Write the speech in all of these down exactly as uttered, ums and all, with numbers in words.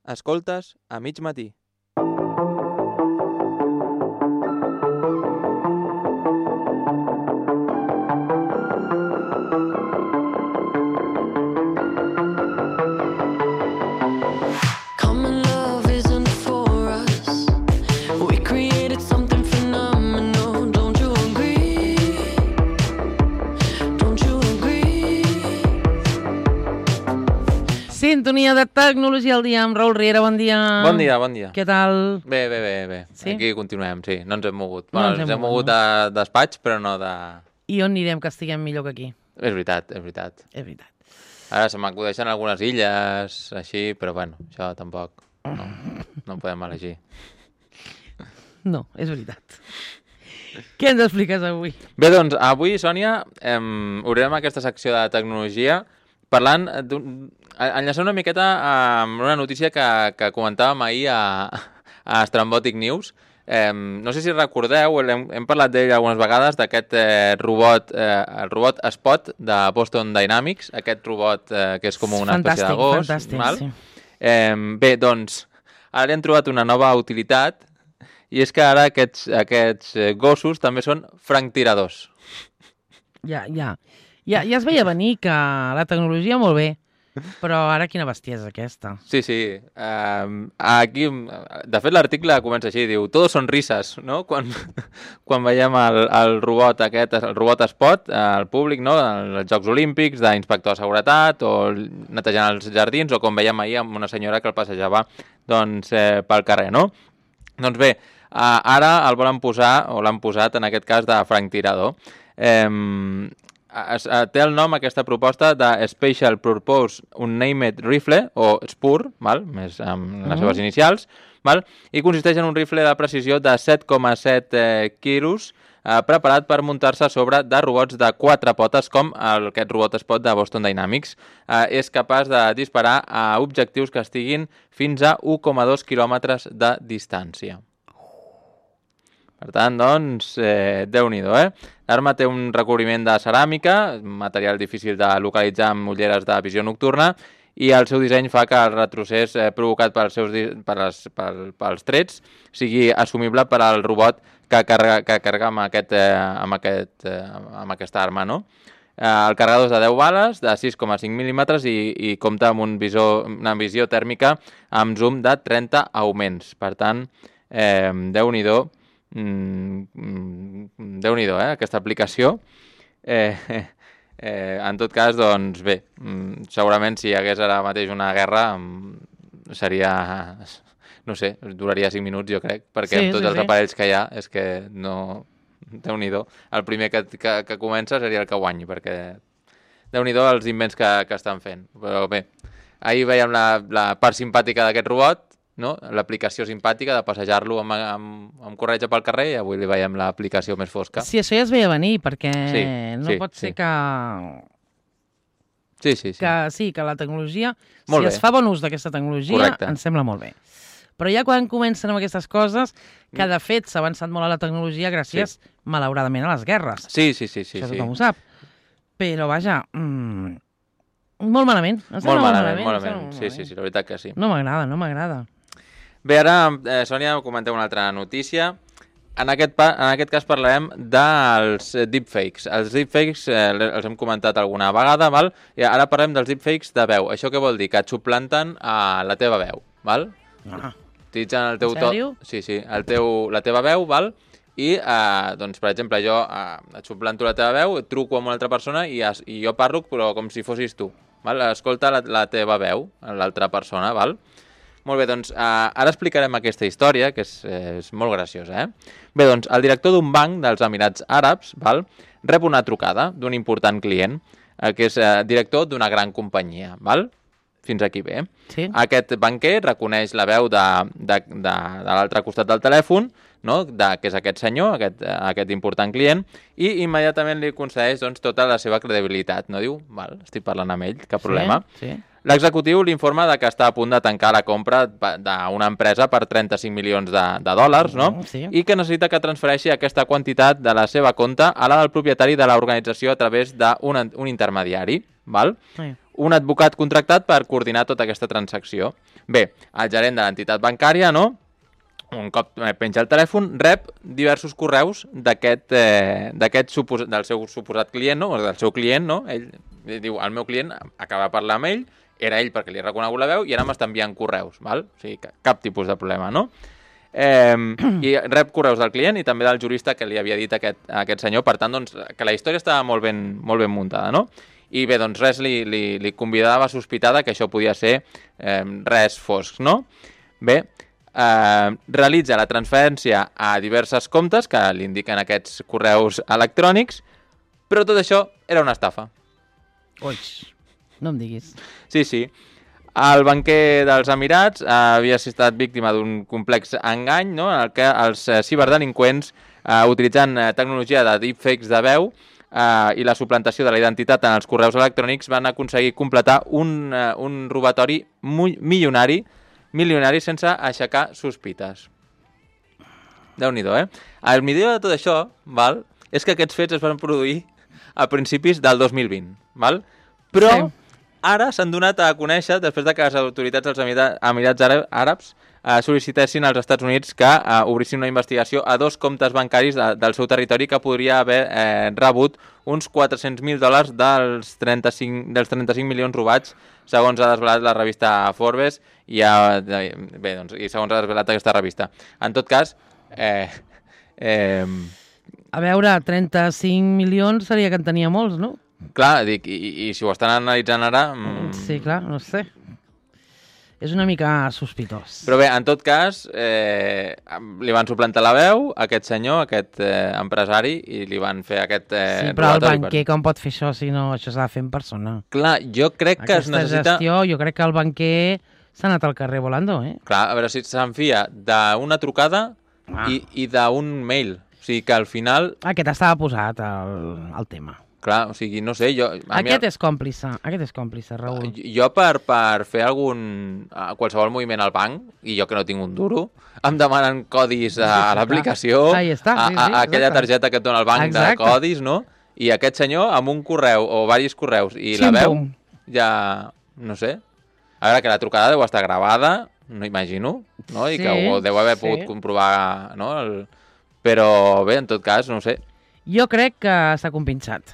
Escoltes a mig matí. Sintonia de Tecnologia al dia amb Raül Riera, bon dia. Bon dia, bon dia. Què tal? Bé, bé, bé, bé. Sí? Aquí continuem, sí, no ens hem mogut. No Bueno, ens hem ens hem mogut, mogut de despatx, però no de... I on anirem que estiguem millor que aquí? És veritat, és veritat. És veritat. Ara se m'acudeixen algunes illes, així, però bueno, això tampoc. No, no podem elegir. No, és veritat. Què ens expliques avui? Bé, doncs, avui, Sònia, em, obrirem aquesta secció de tecnologia parlant, enllaçant una miqueta amb una notícia que, que comentàvem ahir a, a Strambotic News. Eh, no sé si recordeu, hem, hem parlat d'ell algunes vegades, d'aquest eh, robot, eh, el robot Spot de Boston Dynamics, aquest robot eh, que és com una fantàstic, espècie de gos. Fantàstic, val? sí. Eh, bé, doncs, ara li han trobat una nova utilitat, i és que ara aquests, aquests gossos també són franctiradors. Ja, ja. Ja, ja es veia venir que la tecnologia molt bé, però ara quina bestiesa aquesta. Sí, sí. Uh, aquí, de fet, l'article comença així, diu, todos son risas, no? Quan, quan veiem el, el robot aquest, el robot Spot, al públic, no? Els Jocs Olímpics, d'inspector de seguretat, o netejant els jardins, o com veiem ahir amb una senyora que el passejava doncs, eh, pel carrer, no? Doncs bé, uh, ara el volen posar, o l'han posat, en aquest cas, de franctirador. Eh... Es, uh, té el nom, aquesta proposta, de Special Purpose Unnamed Rifle, o S P U R, val? Més amb les seves inicials, val? I consisteix en un rifle de precisió de set coma set eh, quilos, eh, preparat per muntar-se sobre de robots de quatre potes, com el, aquest robot Spot de Boston Dynamics. Eh, és capaç de disparar a objectius que estiguin fins a u coma dos quilòmetres de distància. Per tant, doncs, eh, Déu-n'hi-do, eh? L'arma té un recobriment de ceràmica, material difícil de localitzar amb ulleres de visió nocturna, i el seu disseny fa que el retrocés eh, provocat pels, seus, per les, pel, pels trets sigui assumible per al robot que carrega, que carrega amb, aquest, eh, amb, aquest, eh, amb aquesta arma, no? Eh, el carregador és de deu bales, de sis coma cinc mil·límetres, i, i compta amb un visor, una visió tèrmica amb zoom de trenta augments. Per tant, eh, Déu-n'hi-do, Mm, Déu-n'hi-do, eh, aquesta aplicació. Eh, eh, en tot cas, doncs bé, segurament si hi hagués ara mateix una guerra seria, no sé, duraria cinc minuts, jo crec, perquè sí, amb tots sí, els sí. aparells que hi ha és que no... Déu-n'hi-do. El primer que, que, que comença seria el que guanyi, perquè Déu-n'hi-do els invents que, que estan fent. Però bé, ahir veiem la, la part simpàtica d'aquest robot, no? L'aplicació simpàtica de passejar-lo amb, amb, amb corretja pel carrer, i avui li veiem l'aplicació més fosca. Sí, això ja es veia venir, perquè sí, no sí, pot ser sí. que... Sí, sí, sí. Que, sí, que la tecnologia, molt si bé. es fa bon ús d'aquesta tecnologia, correcte. Ens sembla molt bé. Però ja quan comencen amb aquestes coses, que de fet s'ha avançat molt a la tecnologia gràcies, sí. malauradament, a les guerres. Sí, sí, sí. sí Això sí. tothom ho sap. Però, vaja, mmm, molt malament. Molt malament, molt malament. Molt malament. Sí, sí, sí, la veritat que sí. No m'agrada, no m'agrada. Bé, ara, eh, Sònia, comentem una altra notícia. En aquest, pa, en aquest cas parlarem dels deepfakes. Els deepfakes eh, els hem comentat alguna vegada, val? I ara parlem dels deepfakes de veu. Això què vol dir? Que et suplanten a la teva veu, val? Ah. Utilitzen el teu En sèrio? to... Sí, sí, el teu, la teva veu, val? I, eh, doncs, per exemple, jo eh, et suplanto la teva veu, et truco amb una altra persona i, es, i jo parlo però com si fossis tu, val? Escolta la, la teva veu, l'altra persona, val? Molt bé, doncs, eh, ara explicarem aquesta història, que és, eh, és molt graciosa, eh? Bé, doncs, el director d'un banc dels Emirats Àrabs, val, rep una trucada d'un important client, eh, que és eh, director d'una gran companyia, val? Fins aquí bé. Sí. Aquest banquer reconeix la veu de, de, de, de l'altre costat del telèfon, no? de, que és aquest senyor, aquest, aquest important client, i immediatament li concedeix doncs, tota la seva credibilitat. No diu, val, estic parlant amb ell, cap problema. Sí, sí. L'executiu l'informa de que està a punt de tancar la compra d'una empresa per trenta-cinc milions de, de dòlars, no? Sí. I que necessita que transfereixi aquesta quantitat de la seva compta a la del propietari de l'organització a través d'un un intermediari. Val? Sí. un advocat contractat per coordinar tota aquesta transacció. Bé, el gerent de l'entitat bancària, no?, un cop penja el telèfon, rep diversos correus d'aquest, eh, d'aquest supos... del seu suposat client, no?, o del seu client, no? Ell, ell diu, el meu client acaba de parlar amb ell, era ell perquè li he reconegut la veu i ara m'està enviant correus, val? O sigui, cap tipus de problema, no? Eh, I rep correus del client i també del jurista que li havia dit aquest, aquest senyor, per tant, doncs, que la història estava molt ben, molt ben muntada, no? I bé, doncs res li, li, li convidava a sospitar que això podia ser eh, res fosc, no? Bé, eh, realitza la transferència a diverses comptes que li indiquen aquests correus electrònics, però tot això era una estafa. Ui, no em diguis. Sí, sí. El banquer dels Emirats eh, havia estat víctima d'un complex engany, no?, en el que els eh, ciberdelinqüents, eh, utilitzant eh, tecnologia de deepfakes de veu eh, i la suplantació de la identitat en els correus electrònics, van aconseguir completar un, eh, un robatori milionari, milionari sense aixecar sospites. Déu-n'hi-do, eh? El millor de tot això, val, és que aquests fets es van produir a principis del dos mil vint, val? Però sí. Ara s'han donat a conèixer, després de que les autoritats dels Emirats Àrabs eh, sol·licitessin als Estats Units que eh, obrissin una investigació a dos comptes bancaris de, del seu territori que podria haver eh, rebut uns quatre-cents mil dòlars dels trenta-cinc, dels trenta-cinc milions robats, segons ha desvelat la revista Forbes, i, ha, bé, doncs, i segons ha desvelat aquesta revista. En tot cas, eh, eh, a veure, trenta-cinc milions seria que en tenia molts, no? Clar, dic, i, i si ho estan analitzant ara... Mm... Sí, clar, no sé. És una mica sospitós. Però bé, en tot cas, eh, li van suplantar la veu a aquest senyor, aquest eh, empresari, i li van fer aquest eh, sí, però el robatori. banquer com pot fer això si no això s'ha de fer en persona? Clar, jo crec que Aquesta es necessita... gestió, jo crec que el banquer s'ha anat al carrer volando, eh? Clar, a veure si s'enfia d'una trucada ah. i, i d'un mail. O sigui que al final... Aquest estava posat al, al tema. Clar, o sigui, no sé, jo... Aquest mi... és còmplice, aquest és còmplice, Raül. Jo per, per fer algun... qualsevol moviment al banc, i jo que no tinc un duro, em demanen codis a, a l'aplicació, Ahí està, sí, sí, a, a aquella targeta que et dona el banc exacte. De codis, no? I aquest senyor, amb un correu o diversos correus i la veu, ja... no sé. A veure, que la trucada deu estar gravada, no imagino, no? I sí, que ho deu haver sí. pogut comprovar, no? El... Però bé, en tot cas, no ho sé. Jo crec que està compinxat.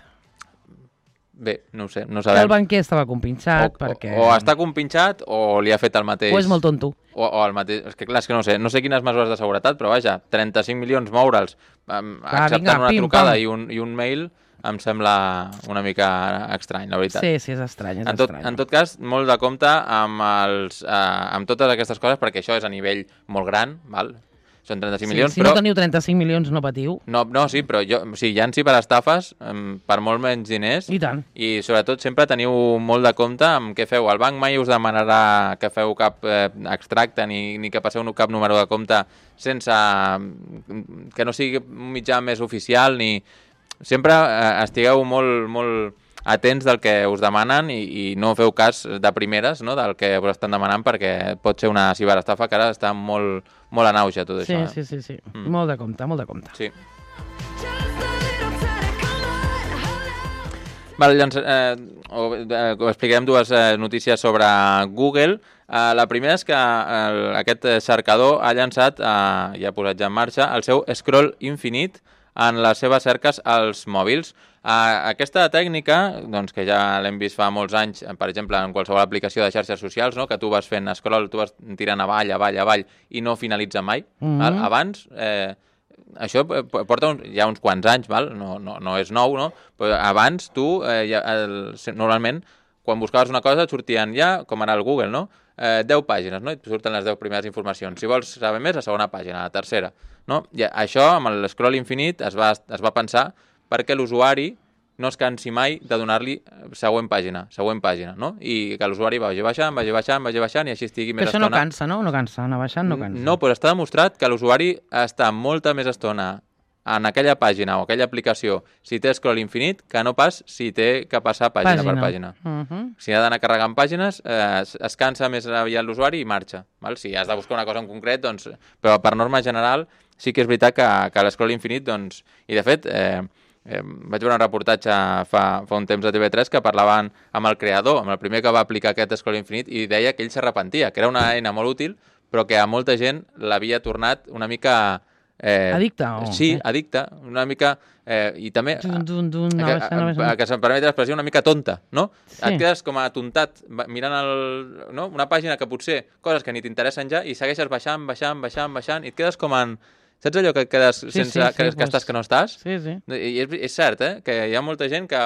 Bé, no ho sé, no sabem. Que el banquer estava compinxat o, perquè... O, o està compinxat o li ha fet el mateix... O és molt tonto. O, o el mateix... És que clar, és que no sé, no sé quines mesures de seguretat, però vaja, trenta-cinc milions moure'ls, um, clar, acceptant vinga, una pim, trucada i un, i un mail, em sembla una mica estrany, la veritat. Sí, sí, és estrany, és en tot, estrany. En tot cas, molt de compte amb, els, uh, amb totes aquestes coses, perquè això és a nivell molt gran, val? Són trenta-cinc sí, milions, si però... Si no teniu trenta-cinc milions, no patiu. No, no sí, però jo, o sigui, hi ha ciberestafes um, per molt menys diners. I tant. I sobretot sempre teniu molt de compte amb què feu. El banc mai us demanarà que feu cap eh, extracte ni, ni que passeu cap número de compte sense... que no sigui un mitjà més oficial ni... Sempre eh, estigueu molt, molt atents del que us demanen i, i no feu cas de primeres, no?, del que us estan demanant, perquè pot ser una ciberestafa que ara està molt, molt en auge tot sí, això. Sí, sí, sí. Mm. Molt de compte, molt de compte. Sí. Vale, llanç, eh, o, eh, explicarem dues eh, notícies sobre Google. Eh, la primera és que el, aquest cercador ha llançat, eh, ja ha posat ja en marxa, el seu scroll infinit en les seves cerques als mòbils. Uh, aquesta tècnica, doncs, que ja l'hem vist fa molts anys, per exemple, en qualsevol aplicació de xarxes socials, no?, que tu vas fent scroll, tu vas tirant avall, avall, avall, i no finalitza mai. Mm -hmm. Abans, eh, això porta uns, ja uns quants anys, val? No, no, no és nou, no? Però abans tu, eh, ja, el, normalment, quan buscaves una cosa et sortien ja, com ara el Google, no?, eh, deu pàgines, no?, i et surten les deu primeres informacions. Si vols saber més, la segona pàgina, la tercera, no? I això, amb el scroll infinit, es va, es va pensar perquè l'usuari no es cansi mai de donar-li següent pàgina, següent pàgina, no? I que l'usuari vagi baixant, vagi baixant, vagi baixant, i així estigui més estona. Que això estona. no cansa, no? No cansa, anar baixant no cansa. No, però està demostrat que l'usuari està molta més estona en aquella pàgina o aquella aplicació si té scroll infinit que no pas si té que passar pàgina, pàgina. per pàgina. Uh -huh. Si ha d'anar carregant pàgines, eh, es, es cansa més aviat l'usuari i marxa. Val? Si has de buscar una cosa en concret, doncs... Però per norma general sí que és veritat que, que l'escroll infinit, doncs... I de fet... Eh, eh, vaig veure un reportatge fa, fa un temps a T V tres que parlaven amb el creador, amb el primer que va aplicar aquest Scroll Infinite, i deia que ell s'arrepentia, que era una eina molt útil, però que a molta gent l'havia tornat una mica... Eh, addicte? O... Sí, addicte, una mica... Eh, i també dun, dun, dun, que, no, no, no, que se'm permet l'expressió una mica tonta, no? Sí. Et quedes com a tontat mirant el, no? una pàgina que potser coses que ni t'interessen ja i segueixes baixant, baixant, baixant, baixant i et quedes com en... Saps allò que quedes sí, sense... Sí, sí, que, pues... que estàs que no estàs? Sí, sí. I és, és cert, eh? Que hi ha molta gent que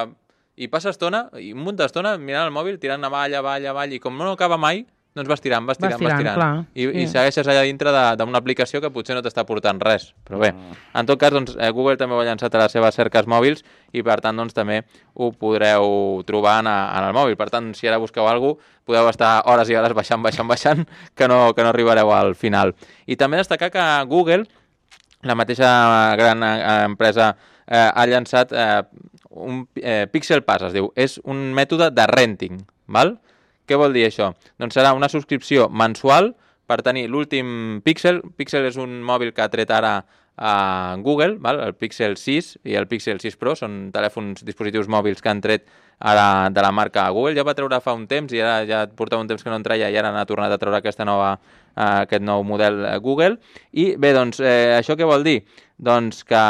hi passa estona, i un munt d'estona mirant el mòbil, tirant avall, avall, avall, i com no acaba mai, doncs vas tirant, vas tirant, vas tirant, vas tirant. Clar, I, sí. I segueixes allà dintre d'una aplicació que potser no t'està portant res. Però bé, en tot cas, doncs, Google també ho ha llançat a les seves cerques mòbils i, per tant, doncs, també ho podreu trobar en, a, en el mòbil. Per tant, si ara busqueu alguna cosa, podeu estar hores i hores baixant, baixant, baixant, que no, que no arribareu al final. I també destacar que Google, la mateixa gran empresa, eh, ha llançat eh, un eh, Pixel Pass, es diu. És un mètode de renting, val? Què vol dir això? Doncs serà una subscripció mensual per tenir l'últim Pixel. Pixel és un mòbil que ha tret ara a Google, val? El Pixel sis i el Pixel sis Pro són telèfons, dispositius mòbils que han tret ara de la marca Google. Ja va treure fa un temps i ara ja portava un temps que no en treia i ara n'ha tornat a treure aquesta nova, eh, aquest nou model Google. I bé, doncs, eh, això què vol dir? Doncs que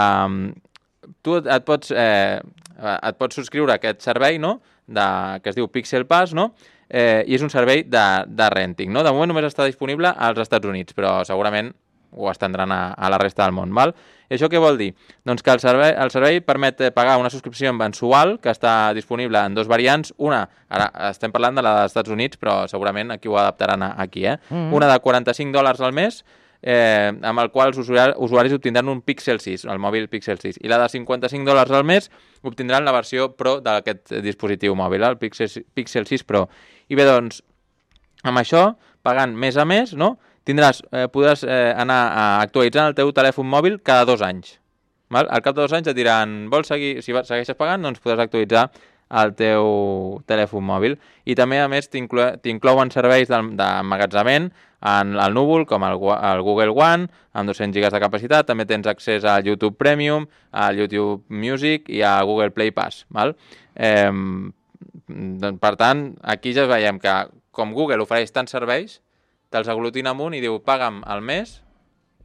tu et pots, eh, et pots subscriure a aquest servei, no? De, que es diu Pixel Pass, no? Eh, i és un servei de, de renting, no? De moment només està disponible als Estats Units, però segurament ho estendran a, a la resta del món, val? I això què vol dir? Doncs que el servei, el servei permet pagar una subscripció mensual que està disponible en dos variants. Una, ara estem parlant de la dels Estats Units, però segurament aquí ho adaptaran aquí, eh? Mm-hmm. Una de quaranta-cinc dòlars al mes, eh, amb el qual els usuaris, usuaris obtindran un Pixel sis, el mòbil Pixel sis. I la de cinquanta-cinc dòlars al mes obtindran la versió Pro d'aquest dispositiu mòbil, el Pixel, Pixel sis Pro. I bé, doncs, amb això, pagant mes a mes, no? Tindràs, eh, podràs eh, anar a actualitzant el teu telèfon mòbil cada dos anys. Val? Al cap de dos anys et diran, vols seguir, si segueixes pagant, doncs podràs actualitzar el teu telèfon mòbil. I també, a més, t'inclouen serveis d'emmagatzament en el núvol, com el, el Google One, amb dos-cents gigas de capacitat. També tens accés al YouTube Premium, al YouTube Music i a Google Play Pass. Val? Eh, per tant, aquí ja veiem que com Google ofereix tants serveis, te'ls aglutina amunt i diu paga'm al mes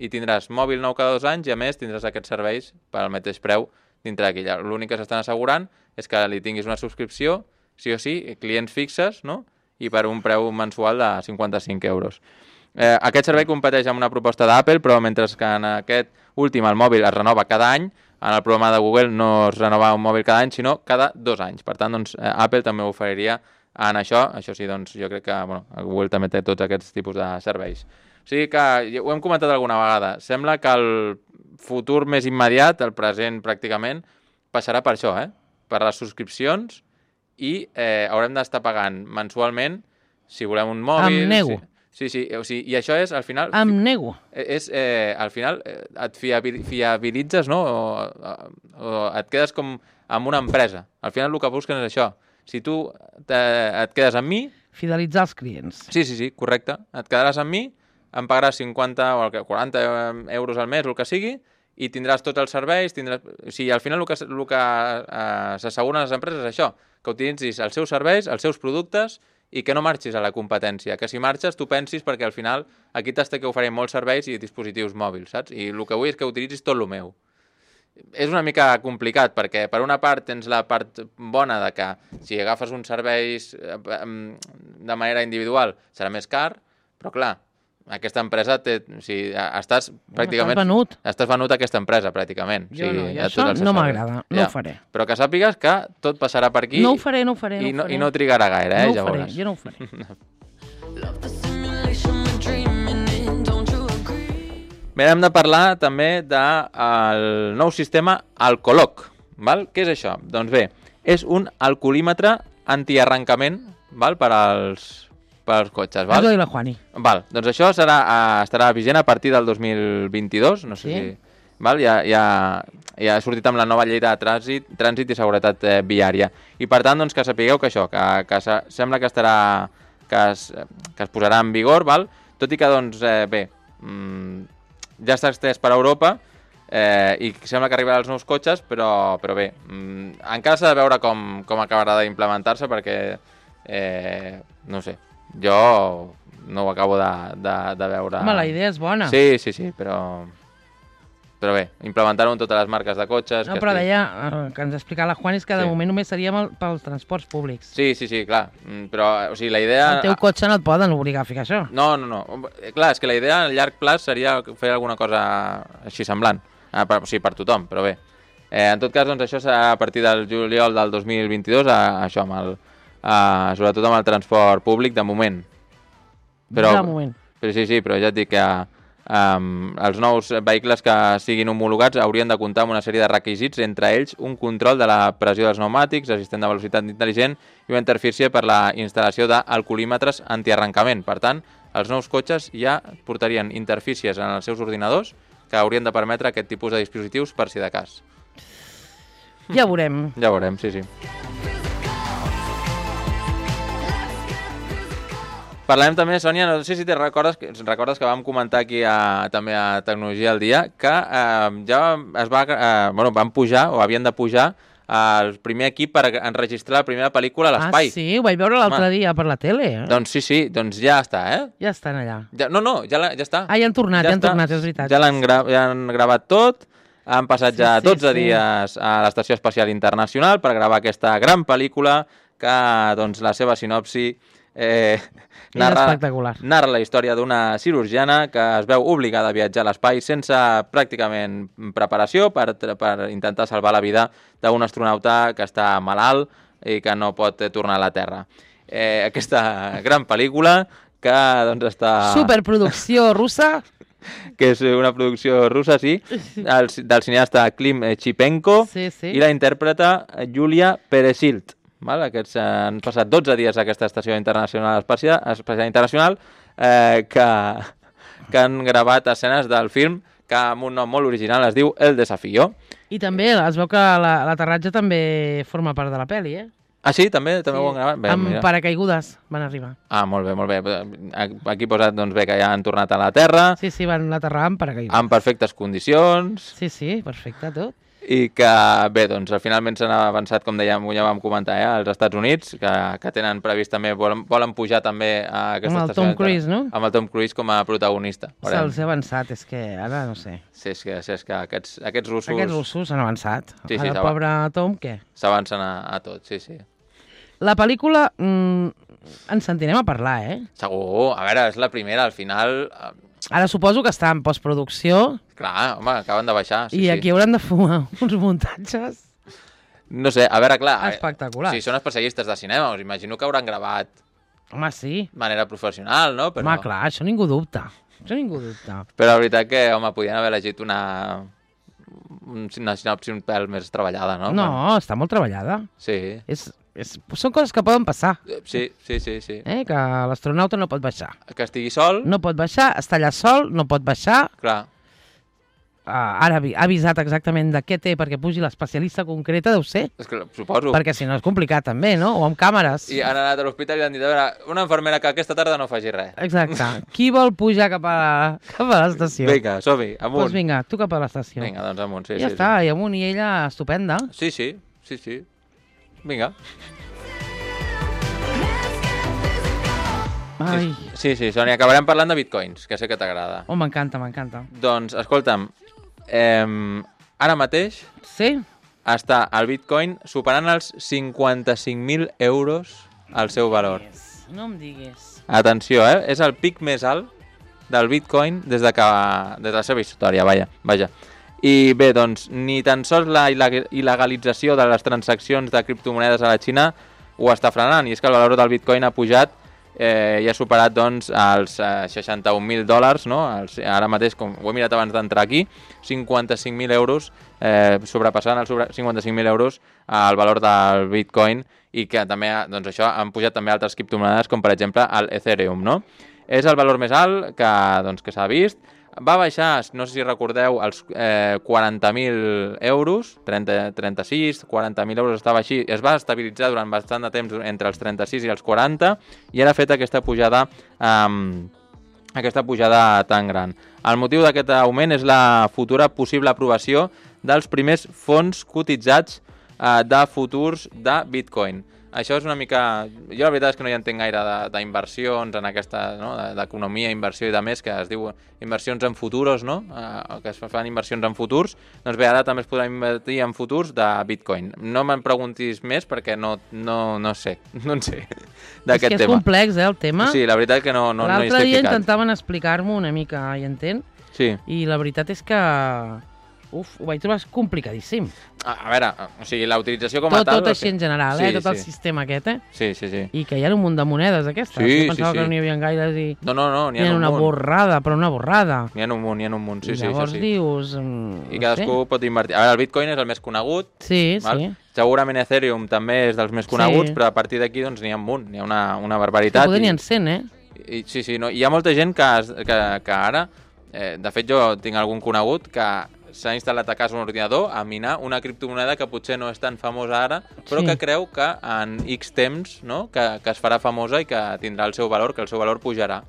i tindràs mòbil nou cada dos anys i a més tindràs aquests serveis per al mateix preu dintre d'aquí. L'únic que s'estan assegurant és que li tinguis una subscripció, sí o sí, clients fixes, no? I per un preu mensual de cinquanta-cinc euros. Eh, aquest servei competeix amb una proposta d'Apple, però mentre que en aquest últim el mòbil es renova cada any, en el programa de Google no es renova un mòbil cada any, sinó cada dos anys. Per tant, doncs, Apple també ho oferiria en això. Això sí, doncs, jo crec que bueno, Google també té tots aquests tipus de serveis. O sigui que, ho hem comentat alguna vegada, sembla que el futur més immediat, el present pràcticament, passarà per això, eh? Per les subscripcions i eh, haurem d'estar pagant mensualment si volem un mòbil... Em nego. Sí, sí, o sigui, i això és, al final... Em nego. És, eh, al final, et fiabilitzes, no? O, o et quedes com amb una empresa. Al final el que busquen és això. Si tu te, et quedes amb mi... Fidelitzar els clients. Sí, sí, sí, correcte. Et quedaràs amb mi, em pagaràs cinquanta o quaranta euros al mes, el que sigui, i tindràs tots els serveis, tindràs... O sigui, al final el que, el que eh, s'asseguren les empreses és això, que utilitzis els seus serveis, els seus productes, i que no marxis a la competència, que si marxes tu pensis perquè al final aquí t'has que oferir molts serveis i dispositius mòbils, saps? I el que vull és que utilitzis tot el meu. És una mica complicat perquè per una part tens la part bona de que si agafes uns serveis de manera individual serà més car, però clar, aquesta empresa té, o sigui, estàs pràcticament... Estàs venut. Estàs venut a aquesta empresa, pràcticament. Jo o sigui, no, i això no m'agrada, no ja. Ho faré. Però que sàpigues que tot passarà per aquí... No ho faré, no ho faré, i no ho faré. I no trigarà gaire, eh, no ja faré, veuràs. jo no ho faré. Bé, hem de parlar també del nou sistema Alcoloc. Val? Què és això? Doncs bé, és un alcoholímetre antiarrencament, val? Per als... per als cotxes, val? Has la Juani. Val, doncs això serà, uh, estarà vigent a partir del dos mil vint-i-dos, no sé sí? si... Val? Ja, ja, ja ha sortit amb la nova llei de trànsit, trànsit i seguretat eh, viària. I per tant, doncs, que sapigueu que això, que, que sembla que estarà... Que es, que es posarà en vigor, val? Tot i que, doncs, eh, bé, mmm, ja està estès per Europa, Eh, I sembla que arribaran els nous cotxes, però, però bé, mm, encara s'ha de veure com, com acabarà d'implementar-se perquè, eh, no sé, jo no ho acabo de, de, de veure. Home, la idea és bona. Sí, sí, sí, però... Però bé, implementar-ho en totes les marques de cotxes... No, que però estic... deia, eh, que ens explicava la Juan, és que de Sí. moment només seríem el, pels transports públics. Sí, sí, sí, clar, mm, però, o sigui, la idea... El teu cotxe no et poden obligar a ficar això. No, no, no. Clar, és que la idea a llarg plaç seria fer alguna cosa així semblant. Ah, per, o sigui, per tothom, però bé. Eh, en tot cas, doncs, això serà a partir del juliol del dos mil vint-i-dos, a, això, amb el, a, sobretot amb el transport públic, de moment. Però, de moment. Però sí, sí, però ja et dic que um, els nous vehicles que siguin homologats haurien de comptar amb una sèrie de requisits, entre ells un control de la pressió dels pneumàtics, assistent de velocitat intel·ligent i una interfície per la instal·lació d'alcoholímetres antiarrencament. Per tant, els nous cotxes ja portarien interfícies en els seus ordinadors que haurien de permetre aquest tipus de dispositius per si de cas. Ja veurem. Ja veurem, sí, sí. Parlem també, Sònia, no sé si te recordes, recordes que vam comentar aquí a, també a Tecnologia al Dia, que eh, ja es va, eh, bueno, van pujar, o havien de pujar, el primer equip per enregistrar la primera pel·lícula a l'espai. Ah, sí? Ho vaig veure l'altre dia per la tele. Eh? Doncs sí, sí, doncs ja està, eh? Ja estan allà. Ja, no, no, ja, la, ja està. Ah, ja han tornat, ja, ja han està. tornat, és veritat. Ja l'han gra ja han gravat tot, han passat Sí, ja sí, dotze sí. dies a l'Estació Espacial Internacional per gravar aquesta gran pel·lícula que, doncs, la seva sinopsi eh, narra, espectacular. narra la història d'una cirurgiana que es veu obligada a viatjar a l'espai sense pràcticament preparació per, per intentar salvar la vida d'un astronauta que està malalt i que no pot tornar a la Terra. Eh, aquesta gran pel·lícula que doncs està... Superproducció russa. Que és una producció russa, sí, el, del cineasta Klim Chipenko Sí, sí. i la intèrpreta Julia Peresild. Val? Aquests eh, han passat dotze dies a aquesta estació internacional espacial, espacial internacional eh, que, que han gravat escenes del film que amb un nom molt original es diu El Desafío. I també es veu que la- l'aterratge també forma part de la pel·li, eh? Ah, sí? També, també ho han gravat? Bé, Amb mira. paracaigudes van arribar. Ah, molt bé, molt bé. Aquí posat doncs, bé, que ja han tornat a la Terra, Sí, sí, van aterrar amb paracaigudes. en perfectes condicions, Sí, sí, perfecte, tot. i que, bé, doncs, finalment s'han avançat, com dèiem, ja vam comentar, eh, als Estats Units, que, que tenen previst també, volen, volen pujar també a aquesta Amb el estació. Tom Cruise, no? Amb el Tom Cruise com a protagonista. Veurem. Se'ls ha avançat, és que ara no sé. Sí, és que, sí, és que aquests, aquests russos Aquests russos han avançat. Sí, sí, Ara el s'ava- pobre Tom, què? s'avancen a, a tot, sí, sí. La pel·lícula mm, ens sentirem a parlar, eh? Segur, a veure, és la primera, al final... eh, Ara suposo que està en postproducció Clar, home, acaben de baixar. Sí, i aquí sí. hauran de fumar uns muntatges. No sé, a veure, clar... eh, Espectaculars. Si són especialistes de cinema, us imagino que hauran gravat Home, sí. de manera professional, no? Però, Home, clar, això ningú dubta. Això ningú dubta. però la veritat que, home, podien haver elegit una... una sinopsi un pèl més treballada, no? No, Bueno, està molt treballada. sí, És, és, són coses que poden passar. Eh, sí, sí, sí, sí. Eh? Que l'astronauta no pot baixar. Que estigui sol, No pot baixar, està allà sol, no pot baixar. clar. Uh, ara avi- ha avisat exactament de què té perquè pugi l'especialista concreta, deu ser. És que suposo. Perquè si no és complicat també, no? O amb càmeres. I han anat a l'hospital i han dit, a veure, una infermera que aquesta tarda no faci res. Exacte. Qui vol pujar cap a, cap a l'estació? Vinga, som-hi, amunt. Doncs vinga, tu cap a l'estació. Vinga, doncs amunt, sí, ja sí. està, i amunt, i ella estupenda. Sí, sí, sí, sí. Vinga. Ai, Sí, sí, Sònia, acabarem parlant de bitcoins, que sé que t'agrada. oh, m'encanta, m'encanta. Doncs, escolta'm, eh, ara mateix Sí? està el bitcoin superant els cinquanta-cinc mil euros al seu valor. No em diguis. Atenció, eh? És el pic més alt del bitcoin des de, que, des de la seva història, vaja, vaja. I bé, doncs, ni tan sols la il·leg- il·legalització de les transaccions de criptomonedes a la Xina ho està frenant, i és que el valor del bitcoin ha pujat eh, i ha superat doncs, els eh, seixanta-un mil dòlars, no? Els, ara mateix, com ho he mirat abans d'entrar aquí, cinquanta-cinc mil euros, eh, sobrepassant els sobre cinquanta-cinc mil euros el valor del bitcoin, i que també, doncs això, han pujat també altres criptomonedes, com per exemple el Ethereum, no? És el valor més alt que, doncs, que s'ha vist. Va baixar, no sé si recordeu, els eh, quaranta mil euros, trenta, trenta-sis, quaranta mil euros estava així, es va estabilitzar durant bastant de temps entre els trenta-sis i els quaranta, i ara ha fet aquesta pujada eh, aquesta pujada tan gran. El motiu d'aquest augment és la futura possible aprovació dels primers fons cotitzats eh, de futurs de Bitcoin. Això és una mica... Jo la veritat és que no hi entenc gaire d'inversions en aquesta, no? d'economia, inversió i de més, que es diu inversions en futuros, no? Eh, que es fan inversions en futurs. Doncs bé, ara també es podrà invertir en futurs de Bitcoin. No me'n preguntis més perquè no, no, no sé, no en sé d'aquest tema. És que és tema. complex, eh, el tema. Sí, la veritat és que no, no, no hi estic ficat. L'altre dia intentaven explicar-m'ho una mica, i entenc, sí. I la veritat és que... Uf, ho vaig trobar complicadíssim. A, a veure, o sigui, la utilització com tot, a tal... Tot així en general, sí, eh? Tot sí. el sistema aquest, eh? Sí, sí, sí. I que hi ha un munt de monedes aquestes. Sí, jo pensava sí, sí. que no n'hi havia gaires i... No, no, no, n'hi ha, ha un una munt. borrada, però una borrada. N'hi ha un munt, n'hi ha un munt, sí, I sí, llavors això sí. dius... Mm, I cadascú no sé. pot invertir. A veure, el Bitcoin és el més conegut. Sí, val? sí. Segurament Ethereum també és dels més coneguts, Sí. però a partir d'aquí doncs n'hi ha un munt, n'hi ha una, una barbaritat. Que poder n'hi i, ha cent, eh? I, sí, sí, no? Hi ha molta gent que, que, que ara... Eh, de fet, jo tinc algun conegut que s'ha instal·lat a casa un ordinador a minar una criptomoneda que potser no és tan famosa ara, però Sí. que creu que en X temps, no? que, que es farà famosa i que tindrà el seu valor, que el seu valor pujarà.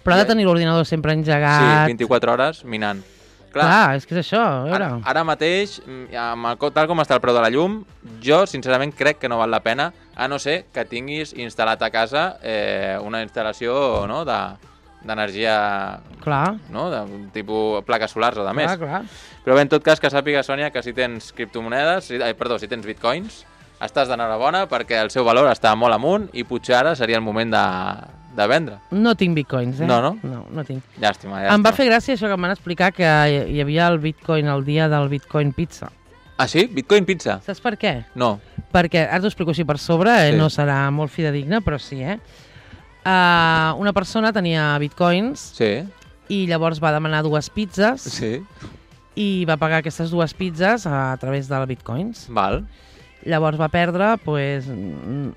Però ha de tenir l'ordinador sempre engegat. Sí, vint-i-quatre hores minant. Clar, Clar, és que és això, a veure. ara, ara mateix, amb el, tal com està el preu de la llum, jo sincerament crec que no val la pena, a no ser que tinguis instal·lat a casa eh, una instal·lació, no?, de d'energia, Clar. no?, de tipus plaques solars o de més. Clar, clar. Però bé, en tot cas, que sàpiga, Sònia, que si tens criptomonedes, si, eh, perdó, si tens bitcoins, estàs d'enhorabona perquè el seu valor està molt amunt i potser ara seria el moment de, de vendre. No tinc bitcoins, eh? No, no? No, no tinc. Llàstima, llàstima. Em va fer gràcia això que em van explicar que hi havia el bitcoin el dia del bitcoin pizza. Ah, sí? Bitcoin pizza? Saps per què? No. Perquè, ara t'ho explico així per sobre, eh? Sí. No serà molt fidedigne, però sí, eh? Uh, una persona tenia bitcoins Sí. i llavors va demanar dues pizzas Sí. i va pagar aquestes dues pizzas a través del bitcoins. Val. Llavors va perdre, pues, mm,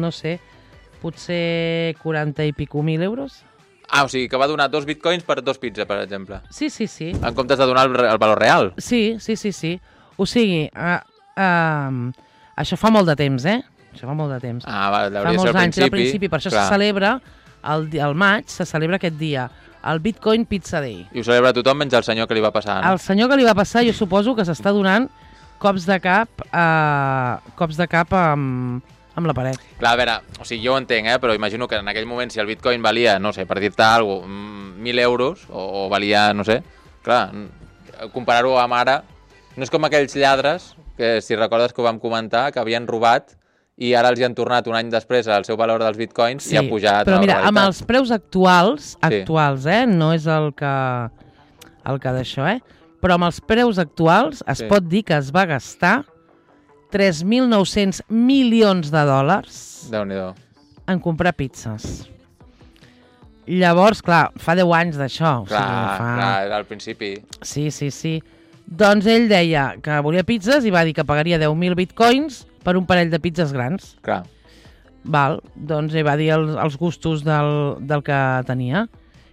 no sé, potser quaranta i pico mil euros. Ah, o sigui, que va donar dos bitcoins per dos pizzas, per exemple. Sí, sí, sí. En comptes de donar el, el valor real. Sí, sí, sí, sí. O sigui, uh, uh, això fa molt de temps, eh? Això fa molt de temps. Ah, va, fa hauria de ser molts al anys, era principi. al principi, per això Clar. se celebra, el, di- al maig, se celebra aquest dia, el Bitcoin Pizza Day. I ho celebra tothom menys el senyor que li va passar, no? El senyor que li va passar, jo suposo que s'està donant cops de cap, uh, cops de cap amb, amb la paret. Clar, a veure, o sigui, jo ho entenc, eh? Però imagino que en aquell moment, si el bitcoin valia, no sé, per dir-te alguna cosa, mil euros, o, o valia, no sé, clar, comparar-ho amb ara, no és com aquells lladres, que si recordes que ho vam comentar, que havien robat i ara els hi han tornat un any després el seu valor dels bitcoins Sí, i ha pujat però a la mira, realitat. amb els preus actuals, Sí. actuals, eh? No és el que, el que d'això, eh? Però amb els preus actuals es Sí. pot dir que es va gastar tres mil nou-cents milions de dòlars Déu-n'hi-do. en comprar pizzas. Llavors, clar, fa deu anys d'això. Clar, o sigui, fa... clar, era al principi. Sí, sí, sí. Doncs ell deia que volia pizzas i va dir que pagaria deu mil bitcoins per un parell de pizzas grans. Clar. Val, doncs ell va dir els, els gustos del, del que tenia,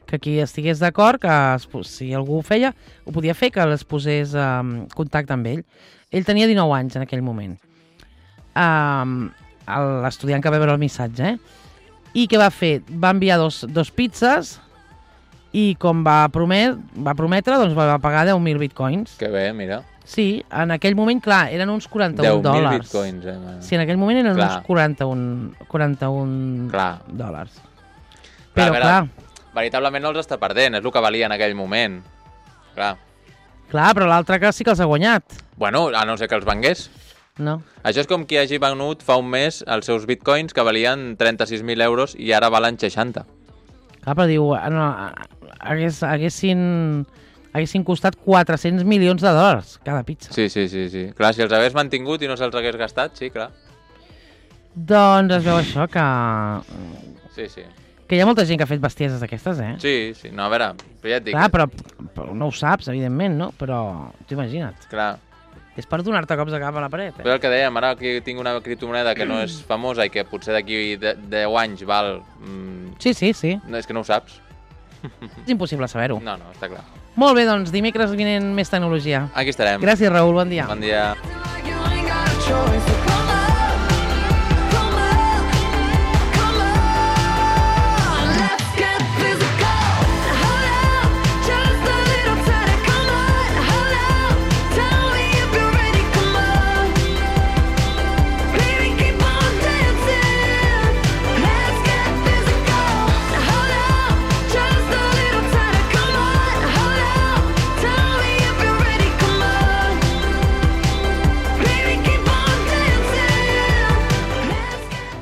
que qui estigués d'acord, que es, si algú ho feia, ho podia fer, que es posés en um, contacte amb ell. Ell tenia dinou anys en aquell moment. Um, L'estudiant que va veure el missatge, eh? I què va fer? Va enviar dos, dos pizzas i com va, promet, va prometre, doncs va pagar deu mil bitcoins. Que bé, mira. Sí, en aquell moment, clar, eren uns quaranta-un deu mil dòlars. bitcoins, eh? Man. Sí, en aquell moment eren Clar. uns quaranta-un, quaranta-un Clar. dòlars. Clar, Però, a veure, clar, veritablement no els està perdent, és el que valia en aquell moment. Clar. clar, però l'altre que sí que els ha guanyat, Bueno, a no ser que els vengués. no? Això és com qui hagi venut fa un mes els seus bitcoins que valien trenta-sis mil euros i ara valen seixanta. Clar, però diu, ah, no, hagués, haguessin, haguessin costat quatre-cents milions de dòlars cada pizza. Sí, sí, sí, sí. Clar, si els hagués mantingut i no se'ls hagués gastat, sí, clar. Doncs es veu això, que, Sí, sí. que hi ha molta gent que ha fet bestieses d'aquestes, eh? Sí, sí. No, a veure, però ja et dic. Clar, però, però no ho saps, evidentment, no? Però t'ho imagina't. Clar. És per donar-te cops de cap a la paret, eh? Però el que dèiem, ara que tinc una criptomoneda que no és famosa i que potser d'aquí de- deu anys val... Mm, Sí, sí, sí. no, és que no ho saps. És impossible saber-ho. No, no, està clar. Molt bé, doncs, dimecres vinent més tecnologia. Aquí estarem. Gràcies, Raül, bon dia. Bon dia. You ain't got a choice.